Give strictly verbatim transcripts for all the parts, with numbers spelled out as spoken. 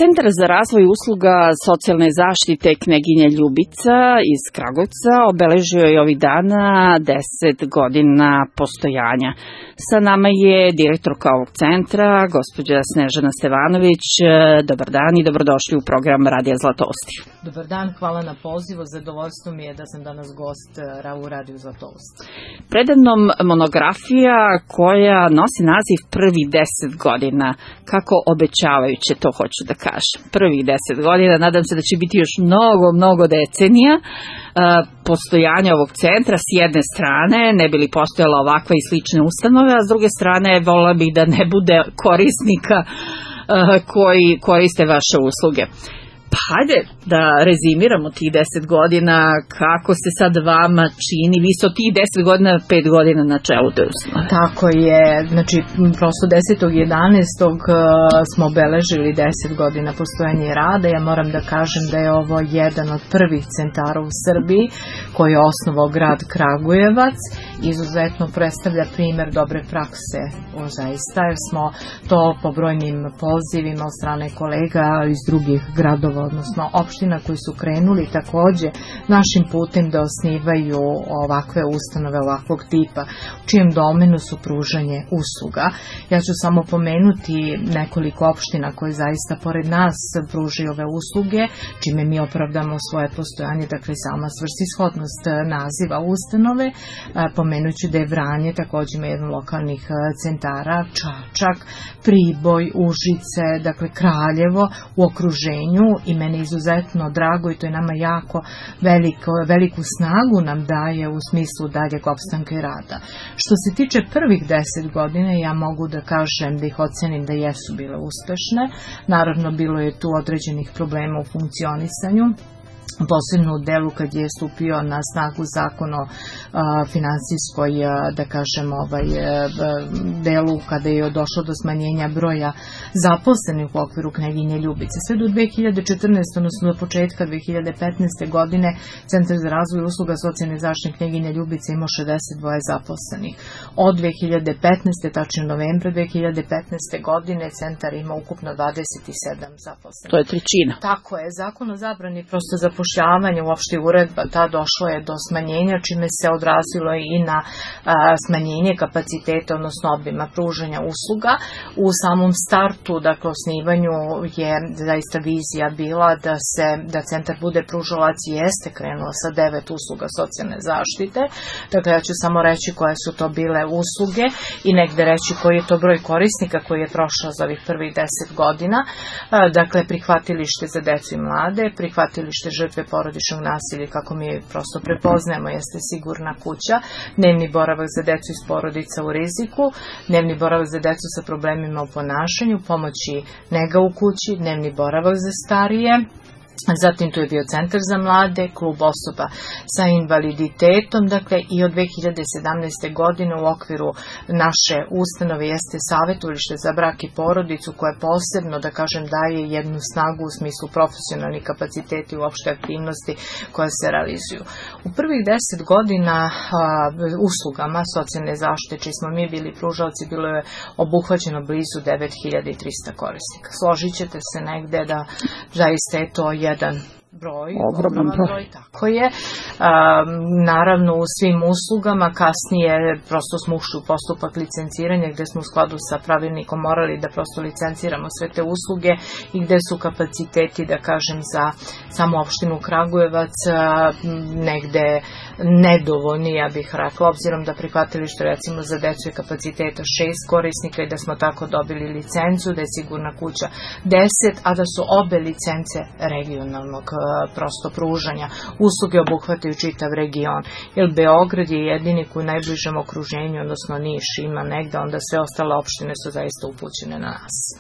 Centar za razvoj usluga socijalne zaštite Kneginja Ljubica iz Kragujevca obeležio je ovih dana deset godina postojanja. Sa nama je direktorka ovog centra, gospođa Snežana Stevanović. Dobar dan i dobrodošli u program Radija Zlatovosti. Dobar dan, hvala na pozivu. Zadovoljstvo mi je da sam danas gost u Radiju Zlatovosti. Predamnom monografija koja nosi naziv Prvih deset godina. Kako obećavajuće, to hoću da kažem. Prvih deset godina, nadam se da će biti još mnogo, mnogo decenija postojanja ovog centra s jedne strane, ne bi li postojala ovakva i slične ustanove, a s druge strane volila bih da ne bude korisnika koji koriste vaše usluge. Pa hajde da rezimiramo tih deset godina, kako se sad vama čini, vi ste od tih deset godina, pet godina na čelu te ustanove. Tako je, znači prosto desetog jedanaestog smo obeležili deset godina postojanja rada. Ja moram da kažem da je ovo jedan od prvih centara u Srbiji koji je osnovao grad Kragujevac. Izuzetno predstavlja primer dobre prakse, o zaista, jer smo to po brojnim pozivima od strane kolega iz drugih gradova, odnosno opština koji su krenuli takođe našim putem da osnivaju ovakve ustanove ovakvog tipa, u čijem domenu su pružanje usluga. Ja ću samo pomenuti nekoliko opština koje zaista pored nas pružaju ove usluge, čime mi opravdamo svoje postojanje, dakle sama svrsishodnost naziva ustanove. Pomenuću da je Vranje takođe ima jedan lokalnih centara, Čačak, Priboj, Užice, dakle Kraljevo u okruženju, i mene izuzetno drago i to je nama jako veliko, veliku snagu nam daje u smislu daljeg opstanka i rada. Što se tiče prvih deset godina, ja mogu da kažem da ih ocenim da jesu bile uspešne. Naravno, bilo je tu određenih problema u funkcionisanju, posebno u delu kad je stupio na snagu zakon o finansijskoj, da kažem, ovaj, delu kada je došlo do smanjenja broja zaposlenih u okviru Kneginje Ljubice. Sve do dve hiljade četrnaeste. odnosno do početka dve hiljade petnaeste. godine Centar za razvoj usluga socijalne zaštite Kneginje Ljubice imao šezdeset dva zaposlenih. Od dve hiljade petnaeste. tačnije novembra dve hiljade petnaeste. godine centar ima ukupno dvadeset sedam zaposlenih. To je trećina. Tako je. Zakon o zabrani prosto zapošljavanja, uopšte uredba, ta došlo je do smanjenja, čime se odrazilo i na a, smanjenje kapaciteta, odnosno obima pružanja usluga. U samom startu, dakle osnivanju, je zaista vizija bila da se da centar bude pružalac i jeste krenuo sa devet usluga socijalne zaštite. Dakle, ja ću samo reći koje su to bile usluge i negde reći koji je to broj korisnika koji je prošao za ovih prvih deset godina. A, dakle, prihvatilište za decu i mlade, prihvatilište žrtve porodičnog nasilja, kako mi prosto prepoznajemo, jeste sigurna kuća, dnevni boravak za decu iz porodica u riziku, dnevni boravak za decu sa problemima u ponašanju, pomoći nega u kući, dnevni boravak za starije. Zatim tu je bio centar za mlade, klub osoba sa invaliditetom, dakle i od dve hiljade sedamnaeste. godine u okviru naše ustanove jeste savjetovalište za brak i porodicu koje posebno, da kažem, daje jednu snagu u smislu profesionalnih kapaciteti i uopšte aktivnosti koje se realizuju. U prvih deset godina a, uslugama socijalne zaštite, čiji smo mi bili pružalci, bilo je obuhvaćeno blizu devet hiljada tristo korisnika. Složit ćete se negde da zaista je to jedan broj, ogroman broj. broj, tako je. Um, naravno u svim uslugama kasnije prosto smo ušli u postupak licenciranja gde smo u skladu sa pravilnikom morali da prosto licenciramo sve te usluge i gde su kapaciteti, da kažem, za samu opštinu Kragujevac negde nedovoljni, ja bih rekla, obzirom da prihvatilište recimo za decu je kapaciteta šest korisnika i da smo tako dobili licencu, da je sigurna kuća deset, a da su obe licence regionalnog prosto pružanja. Usluge obuhvataju čitav region, jer Beograd je jedini koji u najbližem okruženju, odnosno Niš ima negde, onda sve ostale opštine su zaista upućene na nas. E,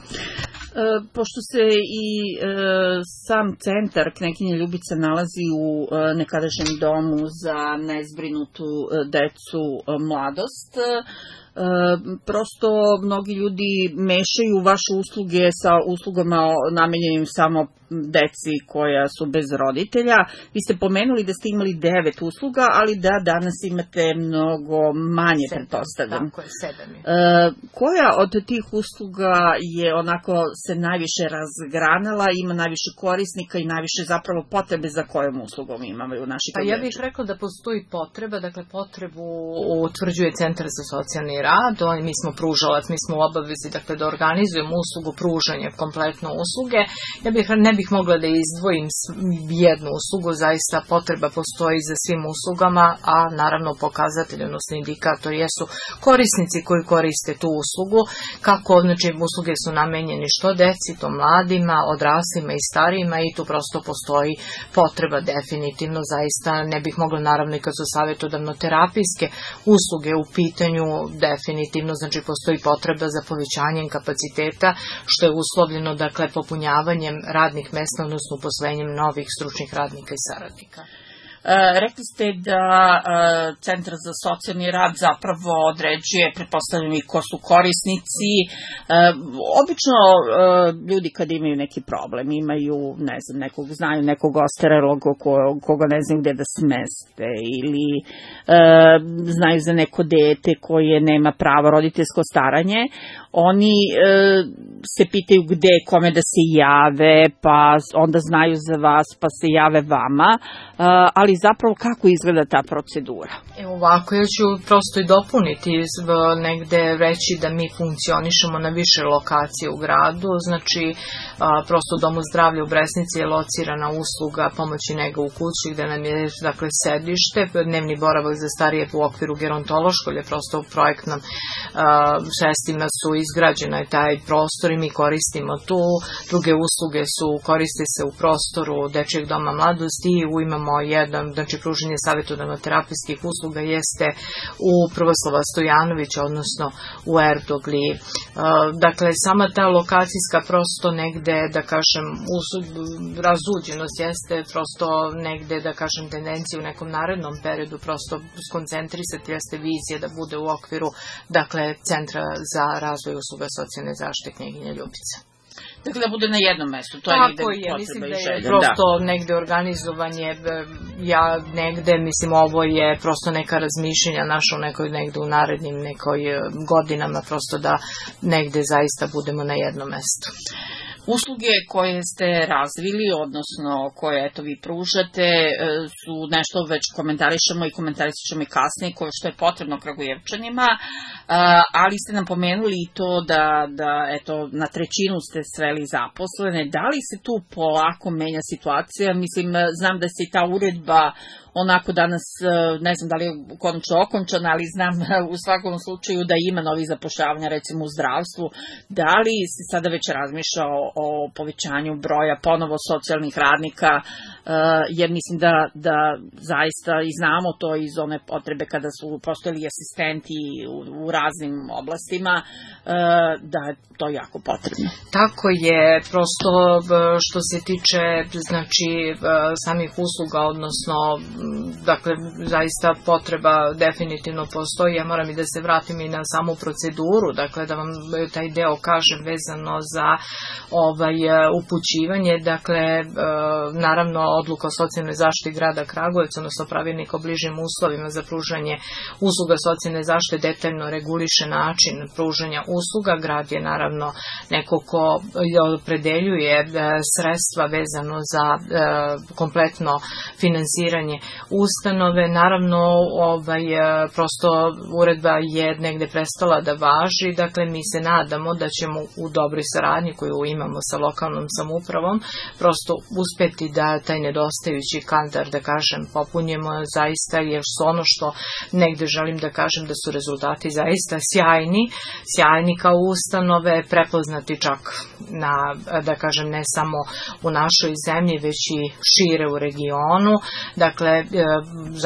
pošto se i e, sam centar Kneginja Ljubica nalazi u e, nekadašnjem domu za nezbrinutu e, decu e, mladost, e, prosto mnogi ljudi mešaju vaše usluge sa uslugama namenjenim samo deci koja su bez roditelja. Vi ste pomenuli da ste imali devet usluga, ali da danas imate mnogo manje, pretpostavljam. Tako je, sedam je. Koja od tih usluga je onako se najviše razgranala, ima najviše korisnika i najviše zapravo potrebe za kojom uslugom imaju naši klijenči? Pa ja bih rekla da postoji potreba, dakle potrebu utvrđuje Centar za socijalni rad, mi smo pružalac, mi smo u obavezi dakle, da organizujemo uslugu pružanja, kompletno usluge. Ja bih, ne bih mogla da izdvojim jednu uslugu, zaista potreba postoji za svim uslugama, a naravno pokazatelj, odnosno indikator jesu korisnici koji koriste tu uslugu, kako, znači usluge su namenjene što deci, to mladima, odraslima i starijima i tu prosto postoji potreba definitivno, zaista ne bih mogla naravno i kad su savjetodavno-terapijske usluge u pitanju, definitivno, znači postoji potreba za povećanjem kapaciteta, što je uslovljeno, dakle, popunjavanjem radnih mesta, odnosno uposlenjem novih stručnih radnika i saradnika. Rekli ste da Centar za socijalni rad zapravo određuje, pretpostavljam i ko su korisnici. Obično ljudi kad imaju neki problem, imaju, ne znam, nekog, znaju nekog ostarelog koga ne znaju gde da smeste ili znaju za neko dete koje nema pravo roditeljsko staranje, oni se pitaju gde, kome da se jave, pa onda znaju za vas, pa se jave vama, ali zapravo kako izgleda ta procedura? E ovako, ja ću prosto i dopuniti, negde reći da mi funkcionišemo na više lokacije u gradu, znači prosto u Domu zdravlja u Bresnici je locirana usluga pomoći nega u kući gde nam je dakle sedište, dnevni boravak za starije u okviru gerontološkog, je prosto u projektnom sredstvima su izgrađena je taj prostor i mi koristimo tu, druge usluge su, koriste se u prostoru Dečijeg doma mladosti i imamo jedan, znači pruženje savjetodavno-terapijskih usluga jeste u Prvoslava Stojanovića, odnosno u Erdogli. Dakle, sama ta lokacijska prosto negde, da kažem, razuđenost jeste prosto negde, da kažem, tendencija u nekom narednom periodu prosto skoncentrisati jeste vizija da bude u okviru, dakle, Centra za razvoj usluga socijalne zaštite Knjeginja Ljubica. Dakle, da bude na jednom mestu, to je negde potreba i želja. Mislim da je prosto negde organizovanje, ja negde, mislim, ovo je prosto neka razmišljenja naša u nekoj, negde u narednim nekoj godinama, prosto da negde zaista budemo na jednom mestu. Usluge koje ste razvili, odnosno koje eto vi pružate, su nešto već komentarišemo i komentarisat ćemo i kasnije, koje što je potrebno Kragujevčanima, ali ste nam pomenuli i to da, da eto, na trećinu ste sveli zaposlene. Da li se tu polako menja situacija? Mislim, znam da se i ta uredba onako danas, ne znam da li je konačno okončana, ali znam u svakom slučaju da ima novih zapošljavanja, recimo u zdravstvu. Da li se sada već razmišlja o, o povećanju broja ponovo socijalnih radnika, jer mislim da, da zaista i znamo to iz one potrebe kada su postojali asistenti u, u raznim oblastima, da je to jako potrebno. Tako je, prosto što se tiče znači samih usluga, odnosno dakle zaista potreba definitivno postoji. Ja moram i da se vratim i na samu proceduru, dakle da vam taj deo kažem vezano za ovaj upućivanje, dakle naravno odluka o socijalnoj zaštiti grada Kragujevca, odnosno pravilnik o bližim uslovima za pružanje usluga socijalne zaštite detaljno reguliše način pružanja usluga. Grad je naravno neko ko opredeljuje sredstva vezano za kompletno finansiranje ustanove. Naravno, ovaj, prosto uredba je negde prestala da važi, dakle mi se nadamo da ćemo u dobroj saradnji koju imamo sa lokalnom samoupravom prosto uspeti da taj nedostajući kadar, da kažem, popunjemo zaista, jer su ono što negde želim da kažem da su rezultati zaista sjajni, sjajni kao ustanove, prepoznati čak na, da kažem, ne samo u našoj zemlji, već i šire u regionu. Dakle,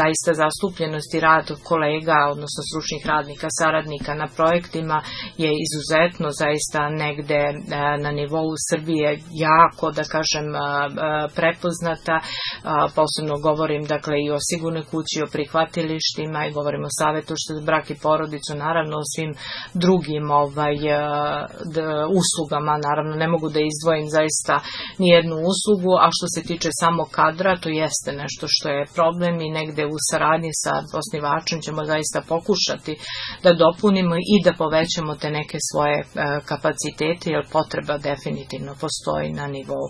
zaista zastupljenost i rad kolega, odnosno stručnih radnika, saradnika na projektima je izuzetno zaista negde na nivou Srbije jako, da kažem, prepoznata. Posebno govorim, dakle, i o sigurnoj kući, o prihvatilištima i govorim o Savetu za brak i porodicu, naravno o svim drugim ovaj, uslugama. Naravno, ne mogu da izdvojim zaista nijednu uslugu, a što se tiče samo kadra, to jeste nešto što je problem i negde u saradnji sa osnivačem ćemo zaista pokušati da dopunimo i da povećamo te neke svoje kapacitete, jer potreba definitivno postoji na nivou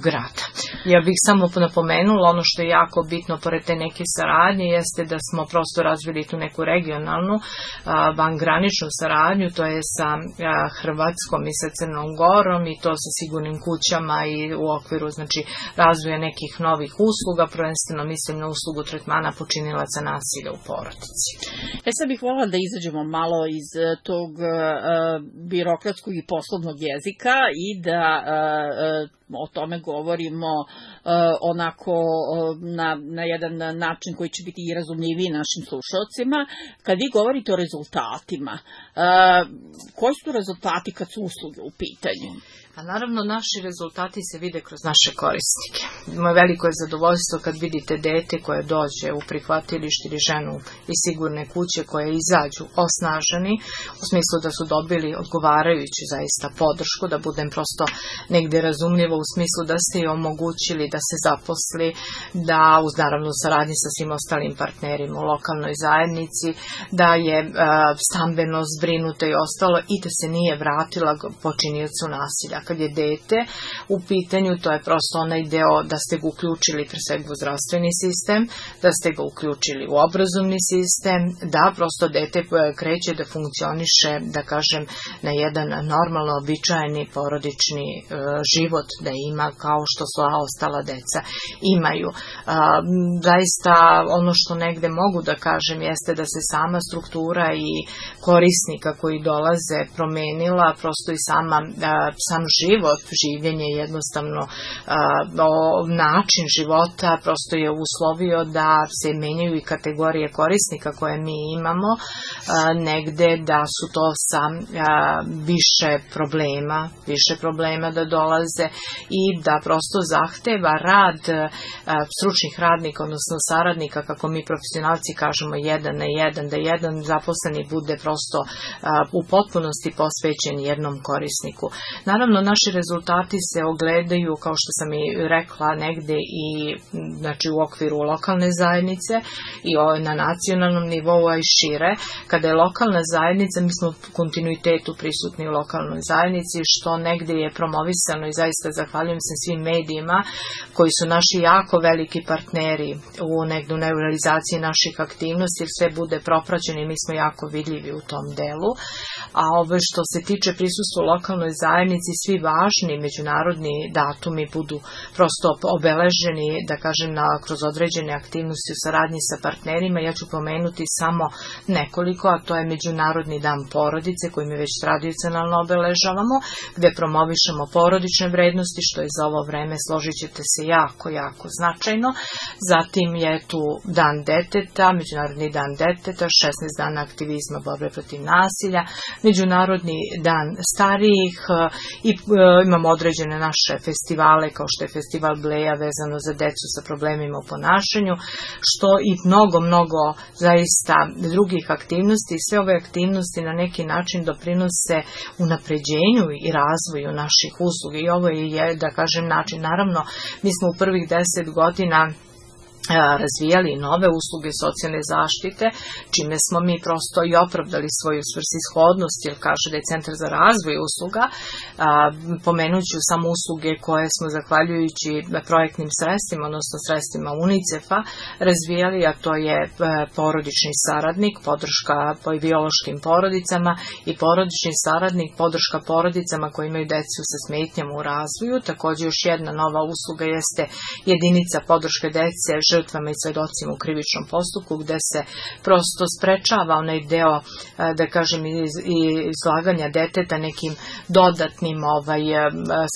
grada. Ja bih samo napomenula, ono što je jako bitno pored te neke saradnje jeste da smo prosto razvili tu neku regionalnu vangraničnu saradnju, to je sa Hrvatskom i sa Crnom Gorom i to sa sigurnim kućama i u okviru znači razvoja nekih novih usluga, prvenstveno mislim na uslugu tretmana počinilaca nasilja u porodici. E sad bih volila da izađemo malo iz tog uh, birokratskog i poslovnog jezika i da uh, o tome govorimo uh, onako uh, na, na jedan način koji će biti i razumljiviji našim slušalcima. Kad vi govorite o rezultatima, uh, koji su rezultati kad su usluge u pitanju? A naravno, naši rezultati se vide kroz naše korisnike. Moje veliko je zadovoljstvo kad vidite dete koje dođe u prihvatilište ili ženu iz sigurne kuće koje izađu osnaženi, u smislu da su dobili odgovarajuću zaista podršku, da budem prosto negde razumljivo u smislu da ste joj omogućili da se zaposli, da uz naravno saradnji sa svim ostalim partnerima u lokalnoj zajednici, da je e, stambeno zbrinuta i ostalo i da se nije vratila počiniocu nasilja. Kad je dete u pitanju, to je prosto onaj deo da ste ga uključili pre svega u zdravstveni sistem, da ste ga uključili u obrazovni sistem, da prosto dete kreće da funkcioniše, da kažem, na jedan normalno običajni porodični e, život da ima kao što sva ostala deca imaju. E, zaista ono što negde mogu da kažem jeste da se sama struktura i korisnika koji dolaze promenila, prosto i sama e, sam život, življenje jednostavno o, način života prosto je uslovio da se menjaju i kategorije korisnika koje mi imamo, a, negde da su to sa a, više problema, više problema da dolaze i da prosto zahteva rad a, stručnih radnika, odnosno saradnika, kako mi profesionalci kažemo, jedan na jedan, da jedan zaposleni bude prosto a, u potpunosti posvećen jednom korisniku. Naravno, naši rezultati se ogledaju, kao što sam i rekla, negde i znači, u okviru lokalne zajednice i na nacionalnom nivou, a i šire. Kada je lokalna zajednica, mi smo u kontinuitetu prisutni u lokalnoj zajednici, što negde je promovisano i zaista zahvaljujem se svim medijima koji su naši jako veliki partneri u negde u realizaciji naših aktivnosti, jer sve bude propraćeno i mi smo jako vidljivi u tom delu. A ovo što se tiče prisustva u lokalnoj zajednici, svi važni međunarodni datumi budu prosto obeleženi, da kažem, na, kroz određene aktivnosti u saradnji sa partnerima. Ja ću pomenuti samo nekoliko, a to je Međunarodni dan porodice, koji mi već tradicionalno obeležavamo, gde promovišemo porodične vrednosti, što je za ovo vreme, složit ćete se, jako, jako značajno. Zatim je tu dan deteta, Međunarodni dan deteta, šesnaest dana aktivizma borbe protiv nasilja, Međunarodni dan starijih i e, imamo određene naše festivale, kao što je festival Bleja vezano za decu sa problemima u ponašanju, što i mnogo, mnogo zaista drugih aktivnosti. I sve ove aktivnosti na neki način doprinose unapređenju i razvoju naših usluga i ovo je, da kažem, način. Naravno, mi smo u prvih deset godina razvijali nove usluge socijalne zaštite, čime smo mi prosto i opravdali svoju svrsishodnost, jer kaže da je Centar za razvoj usluga. Pomenuću samo usluge koje smo zahvaljujući projektnim sredstvima, odnosno sredstvima UNICEF-a razvijali, a to je porodični saradnik, podrška biološkim porodicama i porodični saradnik, podrška porodicama koji imaju decu sa smetnjama u razvoju. Također još jedna nova usluga jeste jedinica podrške dece žrtvama i svedocima u krivičnom postupku, gde se prosto sprečava onaj deo, da kažem, izlaganja deteta nekim dodatnim ovaj,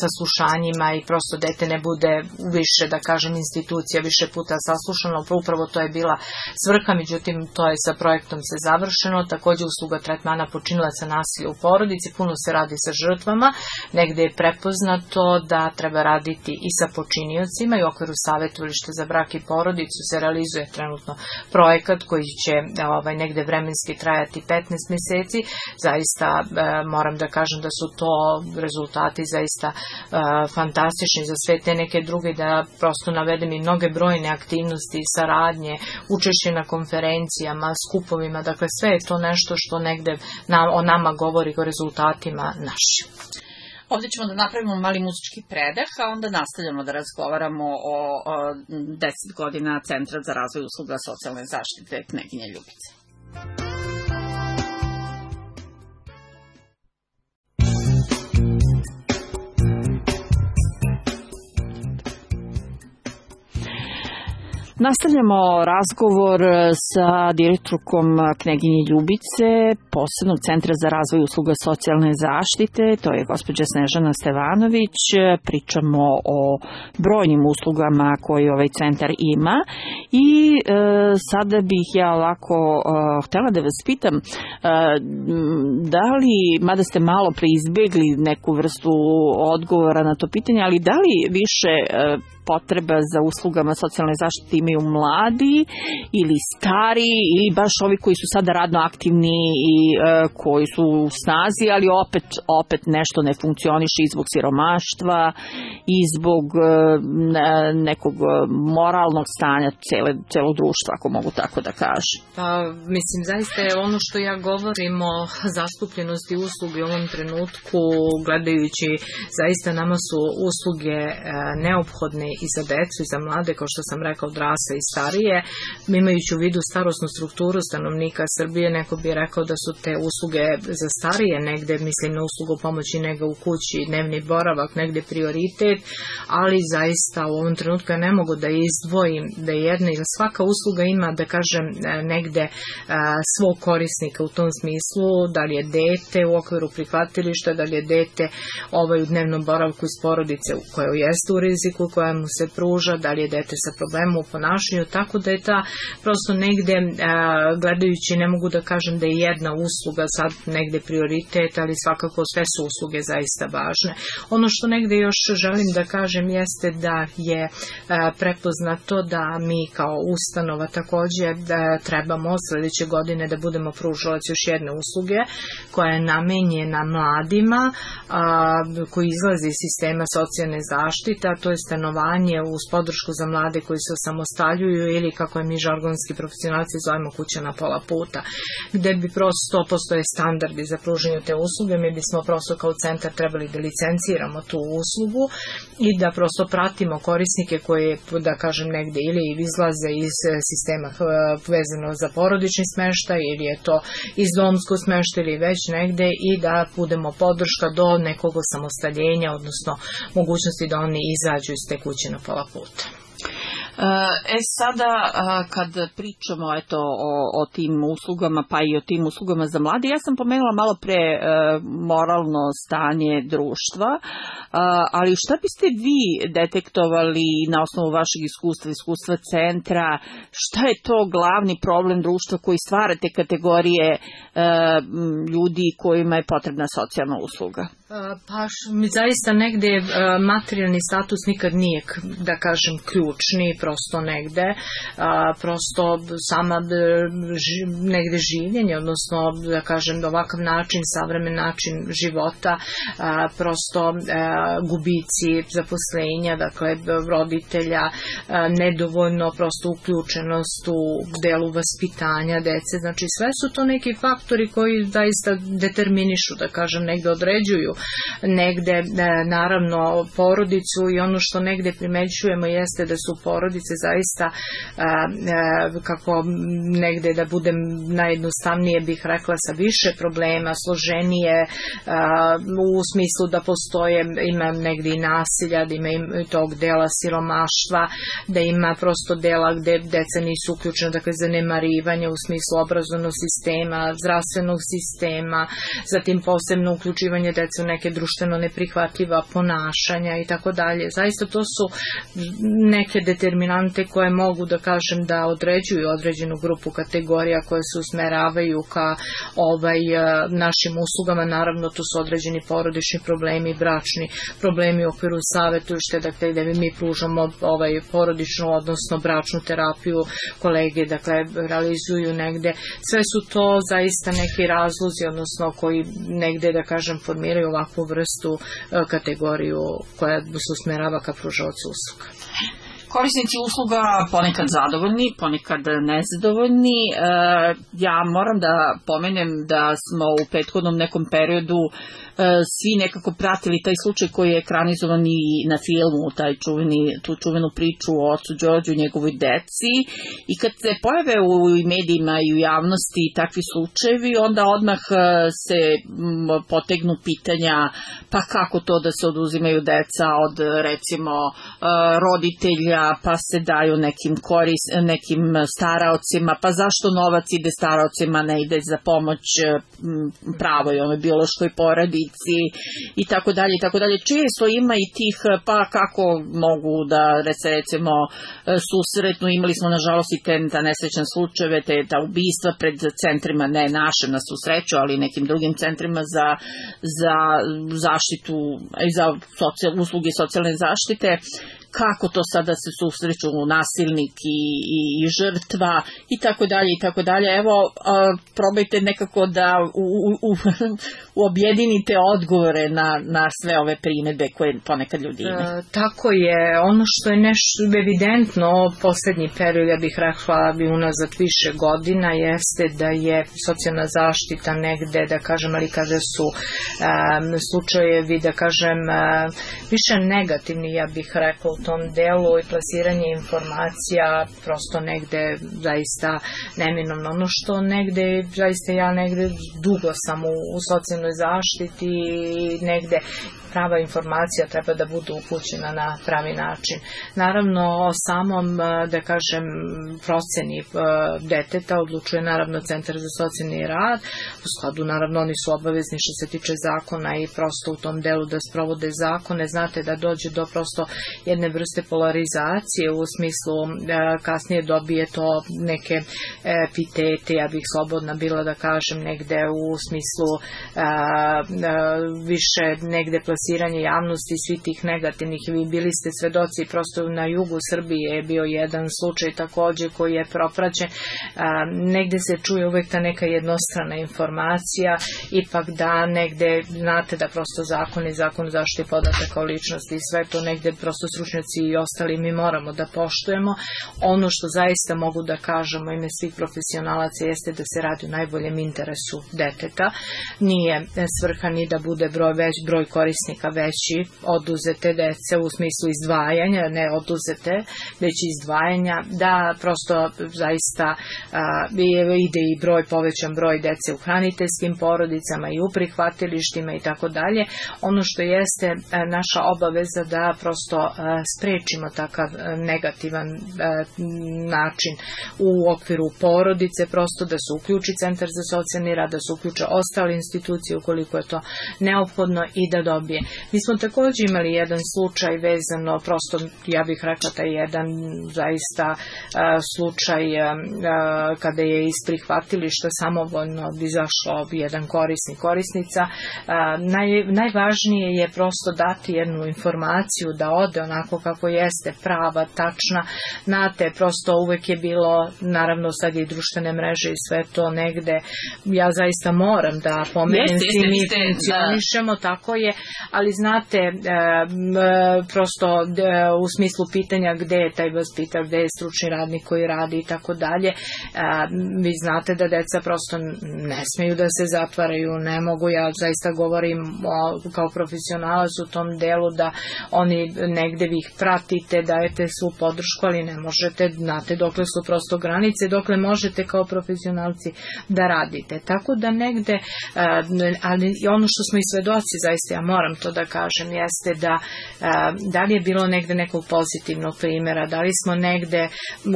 saslušanjima i prosto dete ne bude više, da kažem, institucija više puta saslušano. Upravo to je bila svrha, međutim to je sa projektom se završeno. Takođe usluga tretmana počinilaca nasilja u porodici, puno se radi sa žrtvama, negde je prepoznato da treba raditi i sa počiniocima i u okviru savjetovališta za brak i porodicu se realizuje trenutno projekat koji će ovaj, negde vremenski trajati petnaest meseci. Zaista e, moram da kažem da su to rezultati zaista e, fantastični za sve te neke druge, da prosto navedem i mnoge brojne aktivnosti, saradnje, učešće na konferencijama, skupovima, dakle sve je to nešto što negde na, o nama govori, o rezultatima našim. Ovdje ćemo da napravimo mali muzički predah, a onda nastavljamo da razgovaramo o, o deset godina Centra za razvoj usluga socijalne zaštite Kneginje Ljubice. Nastavljamo razgovor sa direktorkom Kneginje Ljubice, posebnog Centra za razvoj usluga socijalne zaštite, to je gospođa Snežana Stevanović. Pričamo o brojnim uslugama koje ovaj centar ima i e, sada bih ja ovako e, htela da vas pitam e, da li, mada ste malo preizbjegli neku vrstu odgovora na to pitanje, ali da li više e, potreba za uslugama socijalne zaštite imaju mladi ili stari ili baš ovi koji su sada radno aktivni i e, koji su u snazi, ali opet, opet nešto ne funkcioniše i zbog siromaštva i zbog e, nekog moralnog stanja cele, celog društva, ako mogu tako da kažem. Pa, mislim, zaista je ono što ja govorim o zastupljenosti usluge u ovom trenutku, gledajući, zaista nama su usluge e, neophodne i za decu i za mlade, kao što sam rekao, odrasle i starije. Imajući u vidu starosnu strukturu stanovnika Srbije, neko bi rekao da su te usluge za starije negde, mislim na uslugu pomoći nega u kući, dnevni boravak, negde prioritet, ali zaista u ovom trenutku ja ne mogu da izdvojim da je jedna ili svaka usluga ima, da kažem, negde svog korisnika u tom smislu, da li je dete u okviru prihvatilišta, da li je dete ovaj u dnevnom boravku iz porodice koja jeste u riziku, koja mu se pruža, da li je dete sa problemom u ponašanju, tako da je ta prosto negde, gledajući, ne mogu da kažem da je jedna usluga sad negde prioritet, ali svakako sve su usluge zaista važne. Ono što negde još želim da kažem jeste da je prepoznato da mi kao ustanova takođe da trebamo sledeće godine da budemo pružalac još jedne usluge koja je namenjena mladima koji izlaze iz sistema socijalne zaštite, a to je stanovanje uz podršku za mlade koji se osamostaljuju ili, kako je mi žargonski profesionalci zovemo, kuća na pola puta, gde bi prosto postoje standardi za pružanje te usluge. Mi bismo prosto kao centar trebali da licenciramo tu uslugu i da prosto pratimo korisnike koje, da kažem, negde ili izlaze iz sistema vezano za porodični smeštaj ili je to iz domsko smeštaj ili već negde, i da budemo podrška do nekog osamostaljenja, odnosno mogućnosti da oni izađu iz te kuće na pola puta. E sada kad pričamo eto o, o tim uslugama, pa i o tim uslugama za mlade, ja sam pomenula malo pre e, moralno stanje društva, e, ali šta biste vi detektovali na osnovu vašeg iskustva, iskustva centra, šta je to glavni problem društva koji stvara te kategorije e, ljudi kojima je potrebna socijalna usluga? Pa mi zaista negde materijalni status nikad nije, da kažem, ključni, prosto negde, prosto sama negde življenje, odnosno, da kažem, ovakav način, savremen način života, prosto gubici zaposlenja, dakle, roditelja, nedovoljno prosto uključenost u delu vaspitanja dece, znači sve su to neki faktori koji zaista determinišu, da kažem, negde određuju negde naravno porodicu i ono što negde primećujemo jeste da su porodice zaista kako negde da budem najjednostavnije bih rekla sa više problema, složenije u smislu da postoje, ima negde i nasilja, da ima i tog dela siromaštva, da ima prosto dela gde deca nisu uključena, dakle zanemarivanje u smislu obrazovnog sistema, zdravstvenog sistema, zatim posebno uključivanje deca u neke društveno neprihvatljiva ponašanja i tako dalje. Zaista to su neke determinante koje mogu da kažem da određuju određenu grupu kategorija koje se usmeravaju ka ovaj, našim uslugama. Naravno, tu su određeni porodični problemi, bračni problemi u okviru savjetujušte, dakle, gde mi pružamo ovaj, porodičnu, odnosno bračnu terapiju, kolege, dakle, realizuju negde. Sve su to zaista neki razlozi, odnosno koji negde, da kažem, formiraju ovakvu vrstu kategoriju koja se usmerava ka pružaocu usluga. Korisnici usluga ponekad zadovoljni, ponekad nezadovoljni. E, ja moram da pomenem da smo u prethodnom nekom periodu e, svi nekako pratili taj slučaj koji je ekranizovan i na filmu, taj čuveni, tu čuvenu priču o ocu Đorđu i njegovoj deci, i kad se pojave u medijima i u javnosti takvi slučajevi, onda odmah se potegnu pitanja pa kako to da se oduzimaju deca od recimo roditelja, pa se daju nekim koris, nekim staraocima, pa zašto novac ide staraocima, ne ide za pomoć pravoj onoj biološkoj porodici i tako dalje i tako dalje. Često ima i tih, pa kako mogu da recimo susretnu, imali smo nažalost i te ta nesrećne slučajeve, te ta ubistva pred centrima, ne našem na susreću, ali nekim drugim centrima za, za zaštitu i za socijal, usluge socijalne zaštite. Kako to sada se susreću nasilnik i, i, i žrtva i tako dalje i tako dalje. Evo, a, probajte nekako da u, u, u, objedinite odgovore na, na sve ove primedbe koje ponekad ljudi imaju. E, tako je. Ono što je nešto evidentno poslednji period, ja bih rekla bi unazad više godina, jeste da je socijalna zaštita negde, da kažem, ali kaže su e, slučajevi, da kažem, e, više negativni, ja bih rekla, u tom delu i plasiranje informacija prosto negde zaista neminovno. Ono što negde, zaista ja negde dugo sam u, u socijalnoj zaštiti i negde prava informacija treba da bude upućena na pravi način. Naravno, o samom, da kažem, proceni deteta odlučuje naravno Centar za socijalni rad. U skladu, naravno, oni su obavezni što se tiče zakona i prosto u tom delu da sprovode zakone. Znate da dođe do prosto jedne vrste polarizacije u smislu kasnije dobije to neke epitete, ja bih slobodna bila da kažem negde u smislu više negde plasiranje javnosti i svih tih negativnih. Vi bili ste svedoci, prosto na jugu Srbije je bio jedan slučaj takođe koji je propraćen. Negde se čuje uvek ta neka jednostrana informacija, ipak da negde znate da prosto zakon i zakon o zaštiti podataka o ličnosti i sve to negde prosto stručnjaci i ostali mi moramo da poštujemo. Ono što zaista mogu da kažemo ime svih profesionalaca jeste da se radi u najboljem interesu deteta. Nije svrha ni da bude broj, već, broj korisnika veći oduzete dece u smislu izdvajanja, ne oduzete, već izdvajanja, da prosto zaista a, ide i broj, povećan broj dece u hraniteljskim porodicama i u prihvatilištima i tako dalje. Ono što jeste a, naša obaveza da prosto a, sprečimo takav a, negativan a, način u okviru porodice, prosto da se uključi Centar za socijalni rad, da se uključe ostale institucije ukoliko je to neophodno i da dobije. Mi smo također imali jedan slučaj vezano, prosto ja bih rekla taj jedan zaista a, slučaj a, a, kada je iz prihvatilišta samovoljno izašlo jedan korisnik, korisnica. A, naj, najvažnije je prosto dati jednu informaciju da ode onako kako jeste, prava, tačna. Znate, prosto uvek je bilo, naravno sad je i društvene mreže i sve to negde, ja zaista moram da pomenem, svi mi funkcionišemo, tako je, ali znate, e, prosto de, u smislu pitanja gde je taj vaspitač, gde je stručni radnik koji radi i tako dalje, vi znate da deca prosto ne smeju da se zatvaraju, ne mogu, ja zaista govorim o, kao profesionalac u tom delu da oni negde vi ih pratite, dajete svu podršku, ali ne možete, znate dokle su prosto granice, dokle možete kao profesionalci da radite. Tako da negde, ali ono što smo i svedoci, zaista ja moram to da kažem, jeste da da li je bilo negde nekog pozitivnog primjera, da li smo negde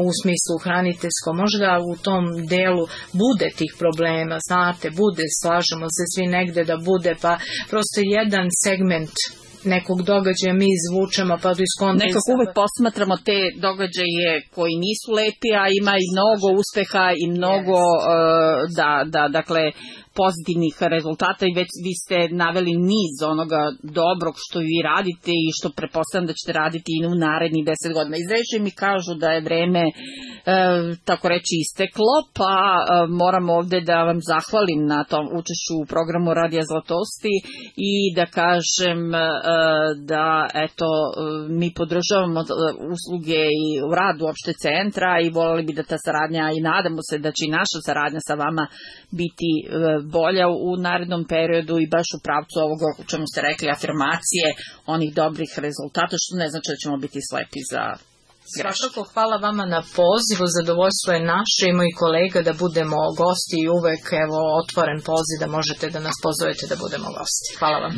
u smislu hraniteljsko, možda u tom delu bude tih problema, znate, bude, slažemo se svi negde da bude, pa prosto jedan segment nekog događaja mi izvučemo pa do iskonta. Nekako uvek posmatramo te događaje koji nisu lepi, a ima i mnogo uspeha i mnogo yes. uh, da, da, dakle, pozitivnih rezultata i već vi ste naveli niz onoga dobrog što vi radite i što pretpostavljam da ćete raditi i u narednih deset godina. Iz reči mi kažu da je vreme e, tako reći isteklo, pa e, moram ovde da vam zahvalim na tom učešću u programu Radija Zlatosti i da kažem e, da eto mi podržavamo usluge i rad uopšte centra i voleli bi da ta saradnja i nadamo se da će i naša saradnja sa vama biti e, bolja u narednom periodu i baš u pravcu ovoga o čemu ste rekli, afirmacije onih dobrih rezultata, što ne znači da ćemo biti slepi za greške. Svakako hvala vama na pozivu, zadovoljstvo je naše i mojih kolega da budemo gosti i uvek evo otvoren poziv da možete da nas pozovete da budemo gosti. Hvala vam.